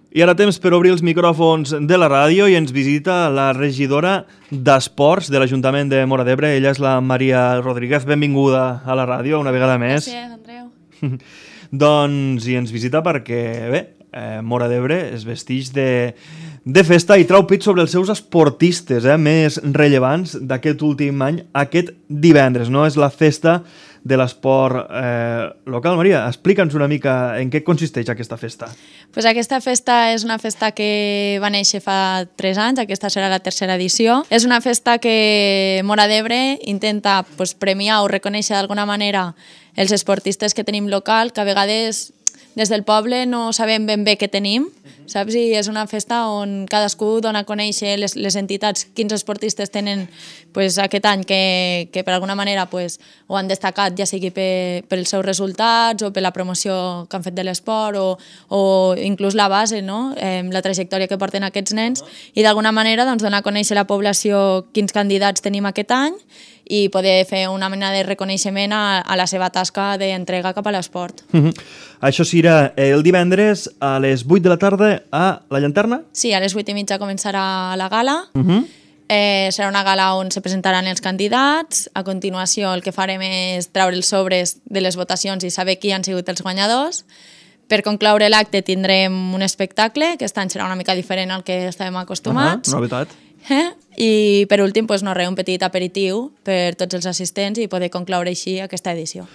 I ara temps per obrir els micròfons de la ràdio i ens visita la regidora d'Esports de l'Ajuntament de Móra d'Ebre. Ella és la Maria Rodríguez. Benvinguda a la ràdio una vegada més. Gràcies, Andreu. Doncs, i ens visita perquè, bé, Móra d'Ebre es vesteix de festa i trau pit sobre els seus esportistes més rellevants d'aquest últim any, aquest divendres, no? És la festa de l'esport local. Maria, explica'ns una mica en què consisteix aquesta festa. Pues aquesta festa és una festa que va néixer fa 3 anys, aquesta serà la 3a edició. És una festa que Móra d'Ebre intenta premiar o reconèixer d'alguna manera els esportistes que tenim local, que a vegades des del poble no sabem ben bé què tenim, saps? I és una festa on cadascú dona a conèixer les entitats, quins esportistes tenen aquest any que per alguna manera ho han destacat, ja sigui pels seus resultats o per la promoció que han fet de l'esport o inclús la base, no? La trajectòria que porten aquests nens, i d'alguna manera donar a conèixer a la població quins candidats tenim aquest any i poder fer una mena de reconeixement a la seva tasca d'entrega cap a l'esport. Això serà el divendres a les 8 de la tarda a la Llanterna? Sí, a les 8:30 començarà la gala. Serà una gala on se presentaran els candidats. A continuació el que farem és treure els sobres de les votacions i saber qui han sigut els guanyadors. Per concloure l'acte tindrem un espectacle, que aquest any serà una mica diferent al que estàvem acostumats. Novetat. I per últim, un petit aperitiu per tots els assistents i poder concloure així aquesta edició.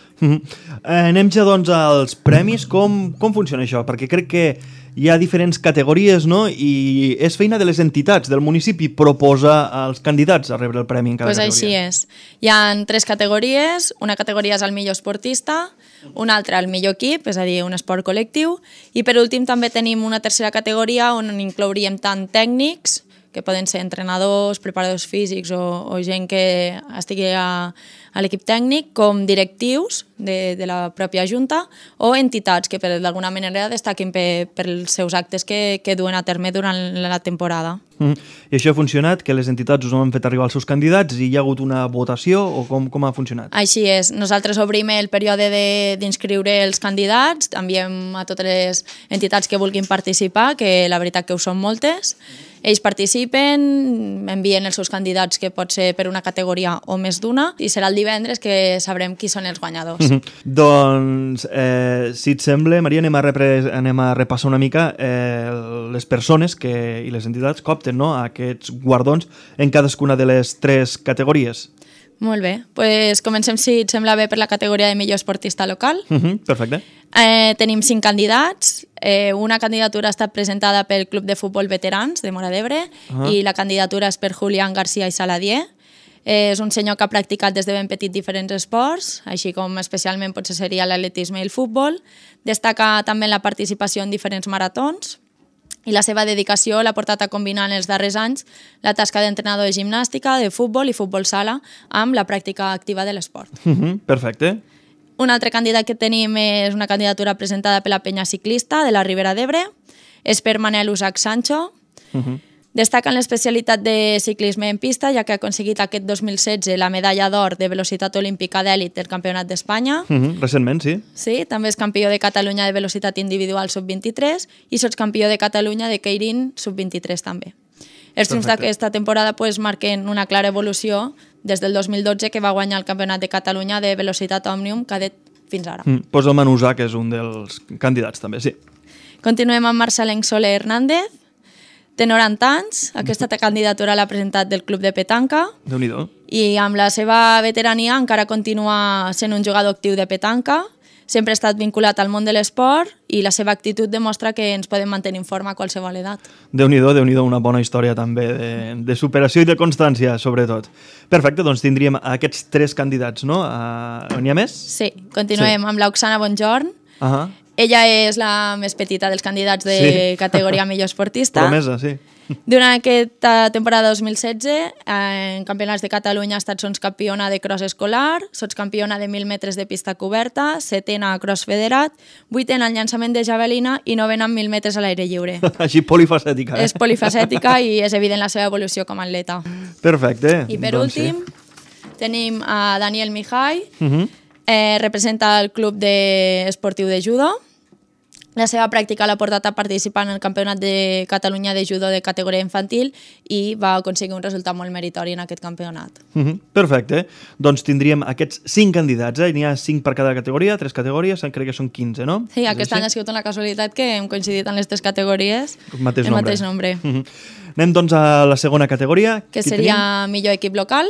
Anem ja doncs als premis. Com funciona això? Perquè crec que hi ha diferents categories, no? I és feina de les entitats del municipi proposar als candidats a rebre el premi en cada categoria. Així és. Hi ha 3 categories. Una categoria és el millor esportista, una altra el millor equip, és a dir, un esport col·lectiu, i per últim també tenim una tercera categoria on inclouríem tant tècnics, que poden ser entrenadors, preparadors físics o gent que estigui a l'equip tècnic, com directius de la pròpia Junta o entitats que d'alguna manera destaquin pels seus actes que duen a terme durant la temporada. I això ha funcionat? Que les entitats us han fet arribar els seus candidats i hi ha hagut una votació o com ha funcionat? Així és. Nosaltres obrim el període d'inscriure els candidats, enviem a totes les entitats que vulguin participar, que la veritat que ho són moltes. Ells participen, envien els seus candidats, que pot ser per una categoria o més d'una, i serà el divendres que sabrem qui són els guanyadors. Doncs, si et sembla, Maria, anem a repassar una mica les persones i les entitats que opten aquests guardons en cadascuna de les 3 categories. Molt bé. Comencem, si et sembla bé, per la categoria de millor esportista local. Perfecte. Tenim 5 candidats. Una candidatura ha estat presentada pel Club de Futbol Veterans de Móra d'Ebre i la candidatura és per Julián García i Saladier. És un senyor que ha practicat des de ben petit diferents esports, així com especialment potser seria l'atletisme i el futbol. Destaca també la participació en diferents maratons i la seva dedicació l'ha portat a combinar en els darrers anys la tasca d'entrenador de gimnàstica, de futbol i futbol sala amb la pràctica activa de l'esport. Perfecte. Un altre candidat que tenim és una candidatura presentada per la penya ciclista de la Ribera d'Ebre. És per Manel Usac Sancho. Destaca en l'especialitat de ciclisme en pista, ja que ha aconseguit aquest 2016 la medalla d'or de velocitat olímpica d'èlit del Campionat d'Espanya. Recentment, sí. Sí, també és campió de Catalunya de velocitat individual sub-23 i sotscampió de Catalunya de Keirin sub-23 també. Els triomfs d'aquesta temporada marquen una clara evolució des del 2012, que va guanyar el Campionat de Catalunya de velocitat òmnium cadet fins ara. Pues el Manusà, que és un dels candidats també, sí. Continuem amb Marcelenc Soler Hernández. Té 90 anys, aquesta candidatura l'ha presentat del Club de Petanca. Déu-n'hi-do. I amb la seva veterania encara continua sent un jugador actiu de petanca. Sempre ha estat vinculat al món de l'esport i la seva actitud demostra que ens podem mantenir en forma a qualsevol edat. Déu-n'hi-do, una bona història també de superació i de constància, sobretot. Perfecte, doncs tindríem aquests 3 candidats, no? N'hi ha més? Sí, continuem amb l'Oxana Bonjorn. Ella és la més petita dels candidats de categoria millor esportista. Promesa, sí. Durant aquesta temporada 2016, en campionats de Catalunya ha estat sotscampiona de cross escolar, sotscampiona de 1.000 metres de pista coberta, 7ena a cross federat, 8ena en llançament de javelina i 9ena en 1.000 metres a l'aire lliure. Així polifacètica. És polifacètica i és evident la seva evolució com a atleta. Perfecte. I per últim, tenim a Daniel Mijay, representa el club esportiu de judo. La seva pràctica l'ha portat a participar en el Campionat de Catalunya de judo de categoria infantil i va aconseguir un resultat molt meritori en aquest campionat. Perfecte. Doncs tindríem aquests 5 candidats, N'hi ha 5 per cada categoria, 3 categories, crec que són 15, no? Sí, aquest any ha sigut una casualitat que hem coincidit en les 3 categories el mateix nombre. Anem doncs a la segona categoria. Que seria millor equip local.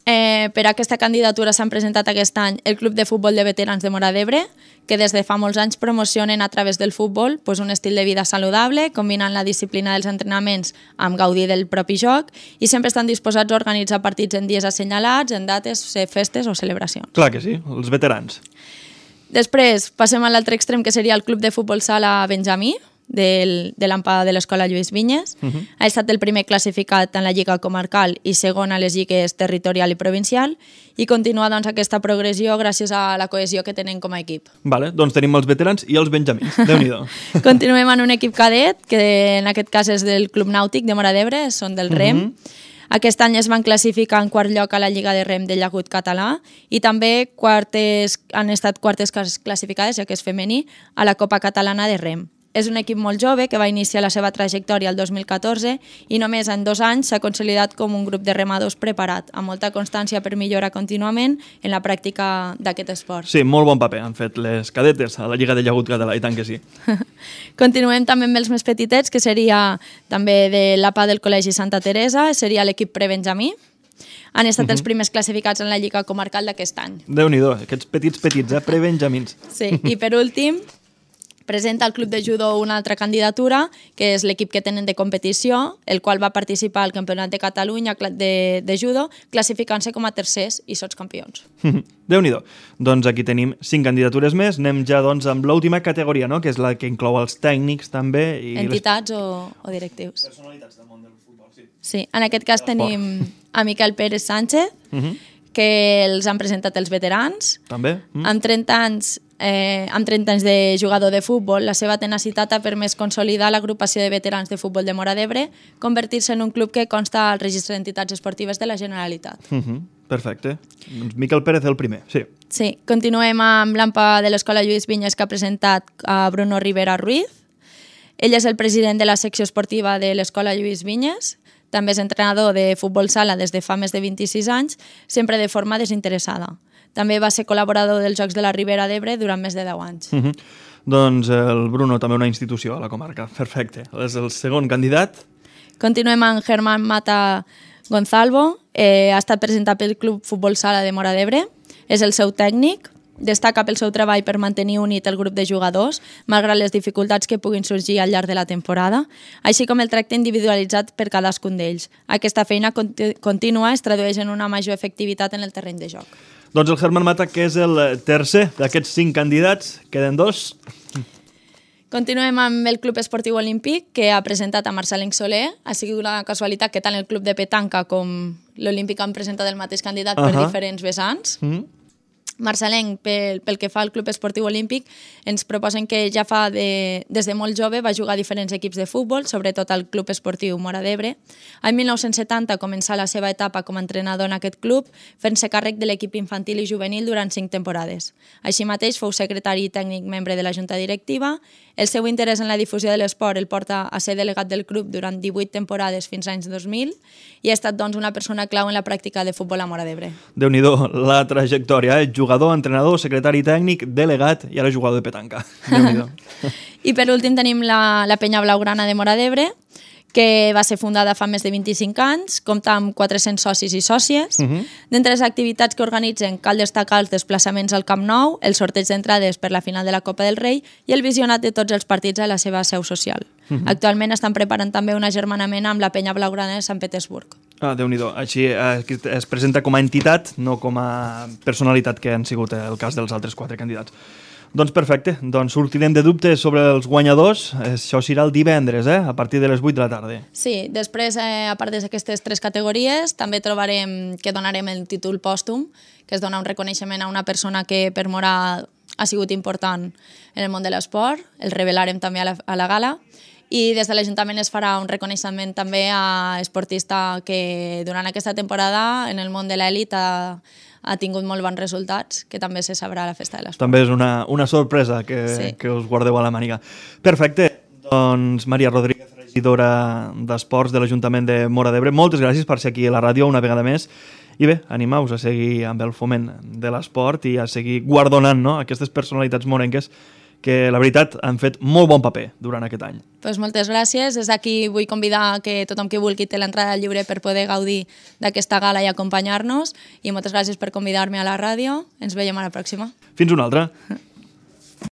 Per a aquesta candidatura s'han presentat aquest any el Club de Futbol de Veterans de Móra d'Ebre, que des de fa molts anys promocionen a través del futbol un estil de vida saludable, combinant la disciplina dels entrenaments amb gaudir del propi joc i sempre estan disposats a organitzar partits en dies assenyalats, en dates, festes o celebracions. Clar que sí, els veterans. Després passem a l'altre extrem, que seria el Club de Futbol Sala Benjamí, de l'AMPA de l'Escola Lluís Vinyes. Ha estat el primer classificat en la Lliga Comarcal i segon a les lligues territorial i provincial i continua doncs, aquesta progressió gràcies a la cohesió que tenen com a equip. Vale, doncs tenim els veterans i els benjamins. Déu-n'hi-do. Continuem en un equip cadet, que en aquest cas és del Club Nàutic de Móra d'Ebre, són del REM. Aquest any es van classificar en quart lloc a la Lliga de Rem del Llagut Català i també han estat quartes classificades, ja que és femení, a la Copa Catalana de Rem. És un equip molt jove que va iniciar la seva trajectòria el 2014 i només en 2 anys s'ha consolidat com un grup de remadors preparat, amb molta constància per millorar contínuament en la pràctica d'aquest esport. Sí, molt bon paper han fet les cadetes a la Lliga de Llagut Català, i tant que sí. Continuem també amb els més petitets, que seria també de l'APA del Col·legi Santa Teresa, seria l'equip prebenjamí. Han estat els primers classificats en la Lliga Comarcal d'aquest any. Déu-n'hi-do, aquests petits, prebenjamins. Sí, i per últim presenta el Club de Judo una altra candidatura, que és l'equip que tenen de competició, el qual va participar al Campionat de Catalunya de judo, classificant-se com a tercers i sotscampions. Déu-n'hi-do. Doncs aquí tenim 5 candidatures més. Anem ja doncs, amb l'última categoria, no? Que és la que inclou els tècnics també. I entitats o directius. Personalitats del món del futbol, sí. Sí, en aquest cas tenim a Miquel Pérez Sánchez, que els han presentat els veterans. També. Amb 30 anys de jugador de futbol, la seva tenacitat ha permès consolidar l'agrupació de veterans de futbol de Móra d'Ebre, convertir-se en un club que consta al registre d'entitats esportives de la Generalitat. Perfecte. Doncs Miquel Pérez el primer, sí. Sí, continuem amb l'AMPA de l'Escola Lluís Vinyes, que ha presentat a Bruno Rivera Ruiz. Ell és el president de la secció esportiva de l'Escola Lluís Vinyes. També és entrenador de futbol sala des de fa més de 26 anys, sempre de forma desinteressada. També va ser col·laborador dels Jocs de la Ribera d'Ebre durant més de 10 anys. Doncs el Bruno, també una institució a la comarca. Perfecte. És el segon candidat. Continuem amb Germán Mata Gonzalvo. Ha estat presentat pel Club Futbol Sala de Móra d'Ebre. És el seu tècnic. Destaca pel seu treball per mantenir unit el grup de jugadors, malgrat les dificultats que puguin sorgir al llarg de la temporada, així com el tracte individualitzat per cadascun d'ells. Aquesta feina contínua es tradueix en una major efectivitat en el terreny de joc. Doncs el Germán Mata, que és el tercer d'aquests 5 candidats, queden 2. Continuem amb el Club Esportiu Olímpic, que ha presentat a Marcelenc Soler. Ha sigut una casualitat que tant el Club de Petanca com l'Olímpic han presentat el mateix candidat per diferents vessants. Marcelenc, pel que fa al Club Esportiu Olímpic, ens proposen que ja des de molt jove va jugar a diferents equips de futbol, sobretot al Club Esportiu Móra d'Ebre. En 1970 començà la seva etapa com a entrenador en aquest club, fent-se càrrec de l'equip infantil i juvenil durant 5 temporades. Així mateix fou secretari i tècnic membre de la Junta Directiva. El seu interès en la difusió de l'esport el porta a ser delegat del club durant 18 temporades fins als anys 2000 i ha estat doncs, una persona clau en la pràctica de futbol a Móra d'Ebre. Déu-n'hi-do, la trajectòria, jugador, entrenador, secretari tècnic, delegat i ara jugador de petanca. Déu-n'hi-do. I per últim tenim la Penya Blaugrana de Móra d'Ebre, que va ser fundada fa més de 25 anys, compta amb 400 socis i sòcies. D'entre les activitats que organitzen cal destacar els desplaçaments al Camp Nou, el sorteig d'entrades per la final de la Copa del Rei i el visionat de tots els partits a la seva seu social. Actualment estan preparant també un agermanament amb la Penya Blaugrana de Sant Petersburg. Déu-n'hi-do. Així es presenta com a entitat, no com a personalitat, que han sigut el cas dels altres 4 candidats. Doncs perfecte, doncs sortirem de dubtes sobre els guanyadors. Això serà el divendres, a partir de les 8 de la tarda. Sí, després, a part d'aquestes 3 categories, també trobarem que donarem el títol pòstum, que es dona un reconeixement a una persona que per Móra ha sigut important en el món de l'esport. El revelarem també a la gala. I des de l'Ajuntament es farà un reconeixement també a esportista que durant aquesta temporada en el món de l'elit ha ha tingut molt bons resultats, que també se sabrà a la Festa de l'Esport. També és una sorpresa que us guardeu a la màniga. Perfecte. Doncs Maria Rodríguez, regidora d'Esports de l'Ajuntament de Móra d'Ebre, moltes gràcies per ser aquí a la ràdio una vegada més. I bé, animeu-vos a seguir amb el foment de l'esport i a seguir guardonant, no?, aquestes personalitats morenques que la veritat han fet molt bon paper durant aquest any. Pues moltes gràcies. Des d'aquí vull convidar que tothom que vulgui té l'entrada lliure per poder gaudir d'aquesta gala i acompanyar-nos, i moltes gràcies per convidar-me a la ràdio. Ens veiem a la pròxima. Fins una altra.